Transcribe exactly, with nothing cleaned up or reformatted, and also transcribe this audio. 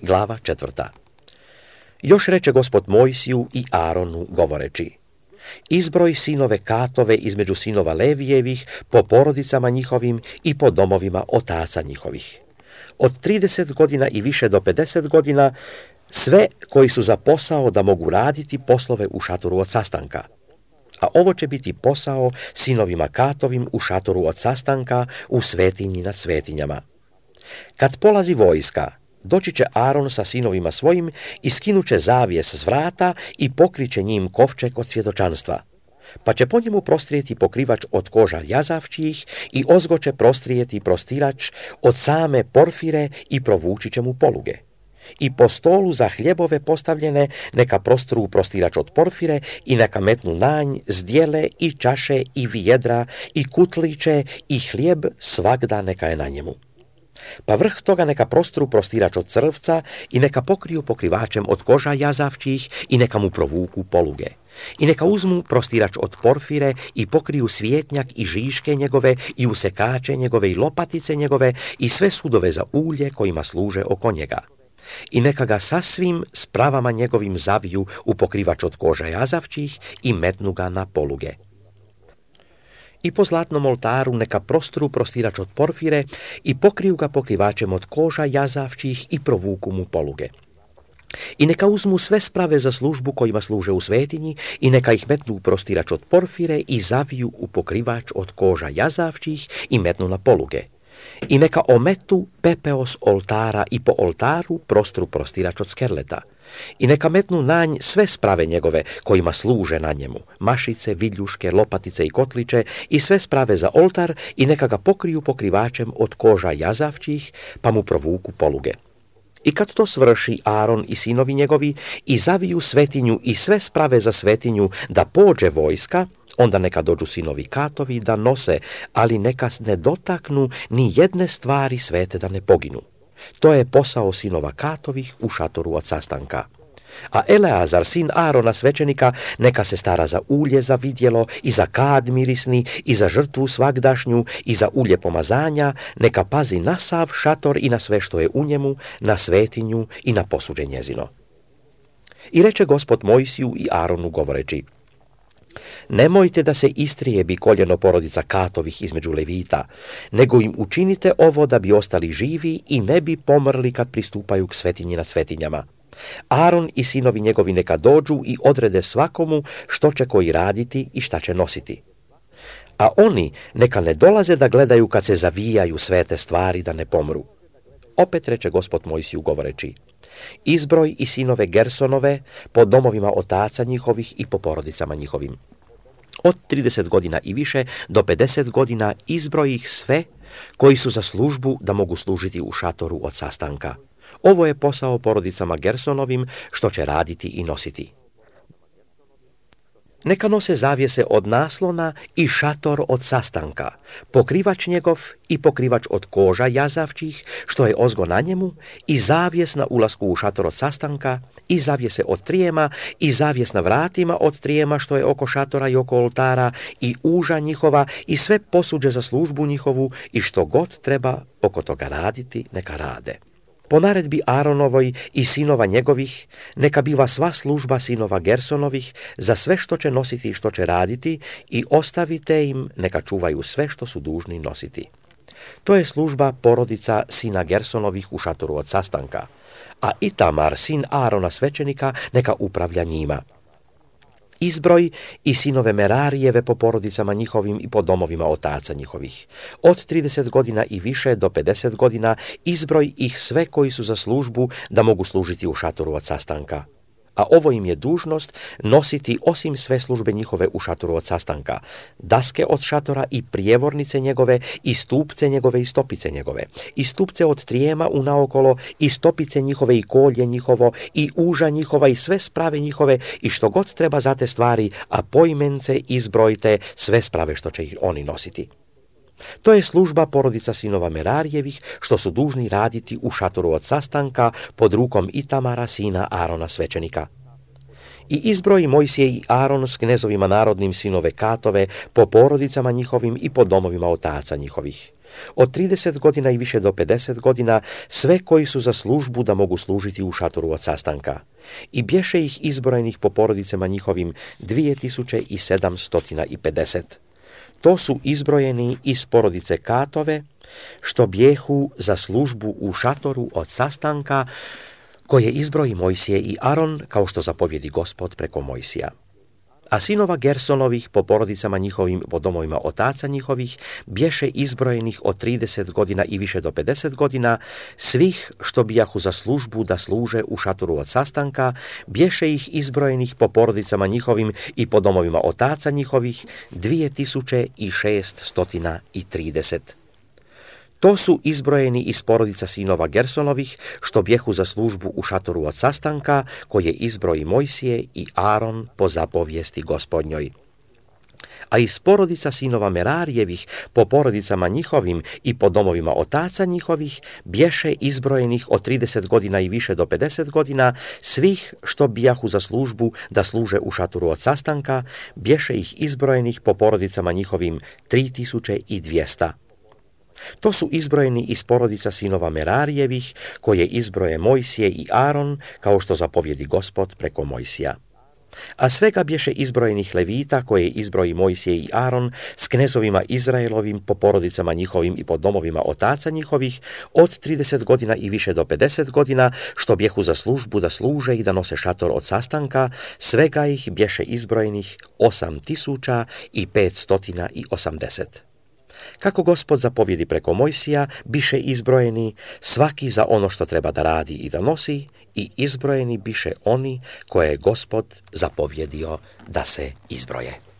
Glava četvrta. Još reče Gospod Mojsiju i Aronu govoreći: izbroj sinove Katove između sinova Levijevih po porodicama njihovim i po domovima otaca njihovih. Od trideset godina i više do pedeset godina, sve koji su za posao da mogu raditi poslove u šatoru od sastanka. A ovo će biti posao sinovima Katovim u šatoru od sastanka u svetinji nad svetinjama. Kad polazi vojska, doći će Aron sa sinovima svojim i skinuće zavijes s vrata i pokriće njim kovčeg od svjedočanstva. Pa će po njemu prostrijeti pokrivač od koža jazavčijih i ozgo će prostrijeti prostirač od same porfire i provući će mu poluge. I po stolu za hljebove postavljene neka prostru prostirač od porfire i neka metnu nanj, zdjele i čaše i vijedra i kutliće i hljeb svagda neka je na njemu. Pa vrh toga neka prostru prostirač od crvca i neka pokriju pokrivačem od koža jazavčih i neka mu provuku poluge. I neka uzmu prostirač od porfire i pokriju svjetnjak i žiške njegove i usekače njegove i lopatice njegove i sve sudove za ulje kojima služe oko njega. I neka ga sasvim spravama njegovim zaviju u pokrivač od koža jazavčih i metnu ga na poluge. I po zlatnom oltaru neka prostru prostirač od porfire i pokriju ga pokrivačem od koža jazavčih i provuku mu poluge. I neka uzmu sve sprave za službu kojima služe u svetinji i neka ih metnu u prostirač od porfire i zaviju u pokrivač od koža jazavčih i metnu na poluge. I neka ometu pepeo s oltara i po oltaru prostru prostirač od skerleta. I neka metnu na nj sve sprave njegove kojima služe na njemu, mašice, vidljuške, lopatice i kotliće i sve sprave za oltar i neka ga pokriju pokrivačem od koža jazavčih pa mu provuku poluge. I kad to svrši Aron i sinovi njegovi i zaviju svetinju i sve sprave za svetinju da pođe vojska, onda neka dođu sinovi Katovi da nose, ali neka ne dotaknu ni jedne stvari svete da ne poginu. To je posao sinova Katovih u šatoru od sastanka. A Eleazar, sin Arona svećenika, neka se stara za ulje za vidjelo i za kad mirisni i za žrtvu svagdašnju i za ulje pomazanja, neka pazi na sav šator i na sve što je u njemu, na svetinju i na posuđe njezino. I reče Gospod Mojsiju i Aronu govoreći: nemojte da se istrijebi koljeno porodica Katovih između Levita, nego im učinite ovo da bi ostali živi i ne bi pomrli kad pristupaju k svetinji nad svetinjama. Aron i sinovi njegovi neka dođu i odrede svakomu što će koji raditi i šta će nositi. A oni neka ne dolaze da gledaju kad se zavijaju svete stvari da ne pomru. Opet reče Gospod Mojsiju govoreći: izbroj i sinove Gersonove po domovima otaca njihovih i po porodicama njihovim. Od trideset godina i više do pedeset godina izbroj ih sve koji su za službu da mogu služiti u šatoru od sastanka. Ovo je posao porodicama Gersonovim što će raditi i nositi. Neka nose zavjese od naslona i šator od sastanka, pokrivač njegov i pokrivač od koža jazavčih, što je ozgo na njemu, i zavjes na ulasku u šator od sastanka, i zavjese od trijema, i zavjes na vratima od trijema, što je oko šatora i oko oltara, i uža njihova, i sve posuđe za službu njihovu, i što god treba oko toga raditi, neka rade. Po naredbi Aronovoj i sinova njegovih, neka biva sva služba sinova Gersonovih za sve što će nositi i što će raditi i ostavite im neka čuvaju sve što su dužni nositi. To je služba porodica sina Gersonovih u šatoru od sastanka, a Itamar, sin Arona svećenika, neka upravlja njima. Izbroj i sinove Merarijeve po porodicama njihovim i po domovima otaca njihovih. Od trideset godina i više do pedeset godina izbroj ih sve koji su za službu da mogu služiti u šatoru od sastanka. A ovo im je dužnost nositi osim sve službe njihove u šatoru od sastanka, daske od šatora i prijevornice njegove i stupce njegove i stopice njegove, i stupce od trijema unaokolo i stopice njihove i kolje njihovo i uža njihova i sve sprave njihove i što god treba za te stvari, a poimence izbrojite sve sprave što će ih oni nositi. To je služba porodica sinova Merarijevih, što su dužni raditi u šatoru od sastanka pod rukom Itamara, sina Arona svećenika. I izbroji Mojsije i Aron s knezovima narodnim sinove Katove po porodicama njihovim i po domovima otaca njihovih. Od trideset godina i više do pedeset godina sve koji su za službu da mogu služiti u šatoru od sastanka. I bješe ih izbrojenih po porodicama njihovim dvije tisuće sedamsto pedeset. To su izbrojeni iz porodice Katove, što bjehu za službu u šatoru od sastanka, koje izbroji Mojsije i Aron, kao što zapovjedi Gospod preko Mojsija. A sinova Gersonovih po porodicama njihovim, po domovima otaca njihovih, bješe izbrojenih od trideset godina i više do pedeset godina, svih što bijahu za službu da služe u šatoru od sastanka, bješe ih izbrojenih po porodicama njihovim i po domovima otaca njihovih, dvije tisuće šeststo trideset. To su izbrojeni iz porodica sinova Gersonovih, što bjehu za službu u šatoru od sastanka, koje izbroji Mojsije i Aron po zapovijesti Gospodnjoj. A iz porodica sinova Merarijevih, po porodicama njihovim i po domovima otaca njihovih, bješe izbrojenih od trideset godina i više do pedeset godina, svih što bijahu za službu da služe u šatoru od sastanka, bješe ih izbrojenih po porodicama njihovim tri tisuće dvjesto. To su izbrojeni iz porodica sinova Merarijevih, koje izbroje Mojsije i Aron, kao što zapovjedi Gospod preko Mojsija. A svega bješe izbrojenih Levita, koje izbroji Mojsije i Aron, s knezovima Izraelovim, po porodicama njihovim i po domovima otaca njihovih, od trideset godina i više do pedeset godina, što bjehu za službu da služe i da nose šator od sastanka, svega ih bješe izbrojenih osam tisuća petsto osamdeset. Kako Gospod zapovjedi preko Mojsija, biše izbrojeni svaki za ono što treba da radi i da nosi, i izbrojeni biše oni koje je Gospod zapovjedio da se izbroje.